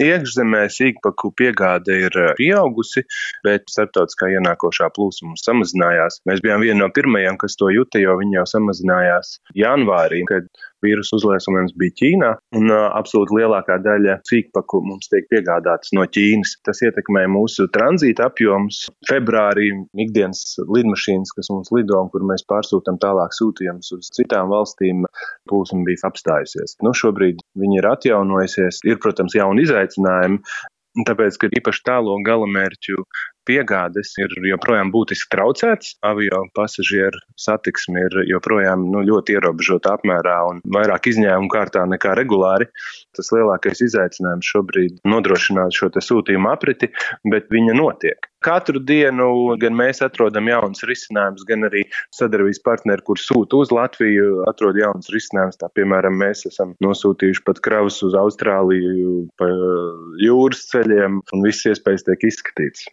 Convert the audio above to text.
Iekšzemē sīkpaku piegāde ir pieaugusi, bet starptautiskā ienākošā plūsma samazinājās. Mēs bijām vieni no pirmajiem, kas to juta, jo viņi jau samazinājās janvārī, kad vīrusu uzliesmojums bija Ķīnā, un absolūti lielākā daļa sīkpaku mums tiek piegādātas no Ķīnas. Tas ietekmē mūsu tranzīta apjomus. Februārī ikdienas lidmašīnas, kas mums lido un kur mēs pārsūtam tālāk sūtījumus uz citām valstīm, plūsma bija apstājusies. Šobrīd viņi ir atjaunojusies. Ir, protams, jauni izaicinājumi, tāpēc, ka īpaši tālo galamērķu piegādes ir joprojām būtiski traucētas. Avio pasažieru satiksme ir joprojām ļoti ierobežota apmērā un vairāk izņēmumu kārtā nekā regulāri. Tas lielākais izaicinājums šobrīd nodrošināt šo sūtījumu apriti, bet viņa notiek. Katru dienu gan mēs atrodam jaunas risinājumus, gan arī sadarbības partneri, kur sūta uz Latviju, atrod jaunas risinājumus. Tā, piemēram, mēs esam nosūtījuši pat kravas uz Austrāliju pa jūras ceļiem, un viss iespējas tiek izskatīts.